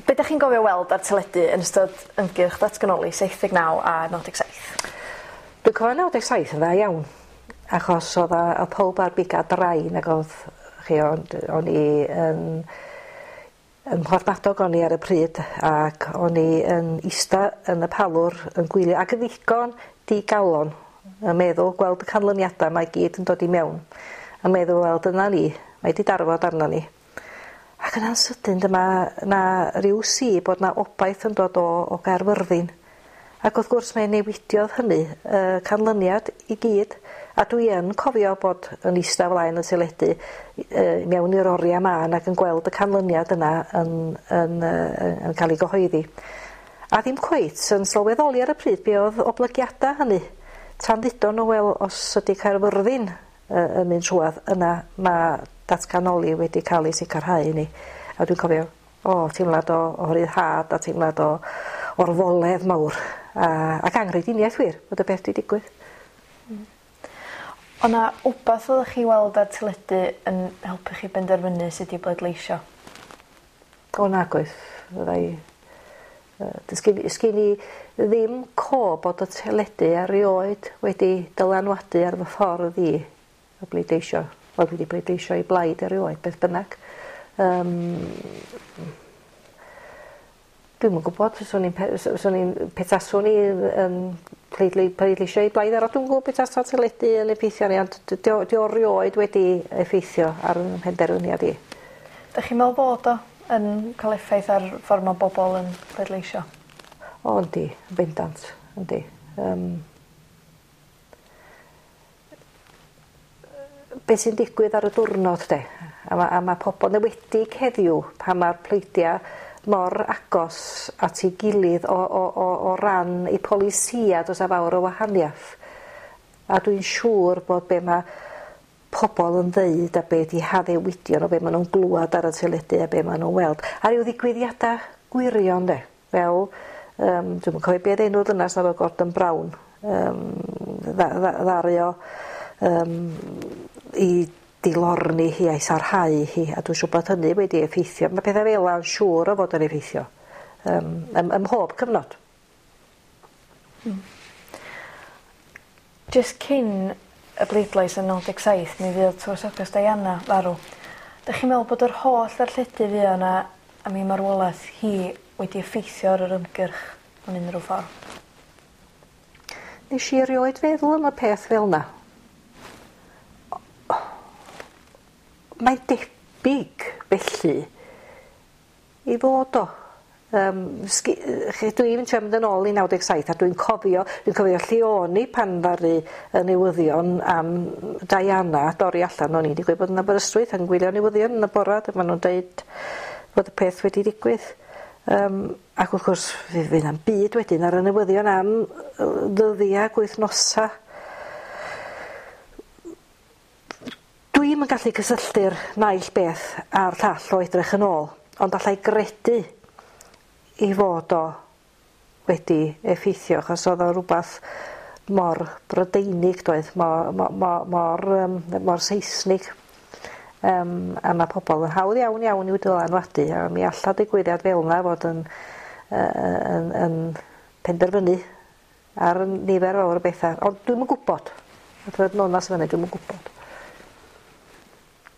Be 'dach chi'n gofio weld ar teledu yn ystod ymgyrch ddatganoli 79 a 97? Dwi'n cofio 97 yn dda iawn achos o'dd a o'dd powb ar biga drain ag o'dd chi ond o'n i yn ym Mhorthmadog o'n i ar y pryd ac o'n i yn ista yn y palwr yn gwylio ac yn ddigon digalon yn meddwl gweld y canlyniadau 'ma i gyd yn dod i mewn a meddwl wel dyna ni mae 'di darfod arno ni. Ac yna'n sydyn dyma 'na ryw si bod 'na obaith yn dod o o Gaerfyrddin. Ac wrth gwrs mae newidiodd hynny y canlyniad i gyd a dwi yn cofio bod yn ista flaen y teledu yy mewn i'r oria mân ac yn gweld y canlyniad yna yn yn yy yn cael ei gyhoeddi. A ddim cweit yn sylweddoli ar y pryd be oedd oblygiada hynny. Tan ddudon nhw wel os ydy Caerfyrddin yy yn mynd trwadd yna ma' datganoli wedi cael ei sicrhau i ni. A dwi'n cofio o teimlad o o ryddhad a teimlad o orfoledd mawr a ac anghrediniaeth wir bod y peth 'di digwydd. O' 'na wbath oddech chi weld ar teledu yn helpu chi benderfynu sut i bleidleisio? O nag oes fyddai yy does gin sgin i ddim co bod y teledu erioed wedi dylanwadu ar fy ffordd i o bleidleisio. Wel dwi 'di bleidleisio i blaid erioed beth bynnag. Yym. Dwi'm yn gwbod fyswn i'n pe- s- swn i'n petaswn i yn pleidlei- pleidleisio i blaid arall dwi'm yn gwbo be' tasa teledu yn effeithio arni ond d- 'di o 'di o rioed wedi effeithio ar 'yn mhenderfyniad i. 'Dach chi'n meddwl bod o yn ca'l effaith ar ffor ma' bobol yn pleidleisio? O yndi yn bendant yndi. Yym. Be' sy'n digwydd ar y diwrnod 'de a ma' a ma' pobol yn ewedig heddiw pan ma'r pleidia mor agos at ei gilydd o o o o ran eu polisia do's 'a fawr o wahaniath. A dwi'n siŵr bod be' ma' pobol yn ddeud a be' 'di haddewidion o be' ma' nw'n glwad ar y teledu a be' ma' nw'n weld a ryw ddigwyddiada gwirion 'de fel yym dwi'm yn cofio be' o'dd enw'r ddynas 'na efo Gordon Brown yym dda- dda- ddaru o yym 'i dilorni hi a'i sarhau hi a dwi'n siŵr bod hynny wedi effeithio ma' petha fel 'a yn siŵr o fod yn effeithio yym ym ym mhob cyfnod. Hmm. Jyst cyn y bleidlais yn 97 mi fuodd tywysoges Diana farw. 'Dych chi'n meddwl bod yr holl ddarlledu fuo 'na am ei marwolaeth hi wedi effeithio ar yr ymgyrch mewn unrhyw ffordd? Nesh i erioed feddwl am y peth fel 'na. Mae'n debyg felly i fod o. Yym sgi- yy lle dwi'n trio mynd yn ôl i 97 a dwi'n cofio dwi'n cofio lle o'n i pan ddaru y newyddion am Diana dorri allan o'n i digwydd bod yn Aberystwyth yn gwylio newyddion yn y bora dyma nw'n deud fod y peth wedi digwydd. Yym ac wrth gwrs fe fydd na'm byd wedyn ar y newyddion am yy ddyddia ag wythnosa. Dwi'm yn gallu cysylltu'r naill beth a'r llall o edrych yn ôl, ond allai gredu 'i fod o wedi effeithio achos o'dd o rwbath mor Brydeinig doedd mo- mo- mo- mor yym mor Seisnig. Yym a ma' pobol yn hawdd iawn iawn i'w dylanwadu a mi alla digwyddiad fel 'na fod yn yy yn yn penderfynu ar nifer fawr o betha ond dwi'm yn gwbod. A dweud yn onast fyny dwi'm yn gwbod.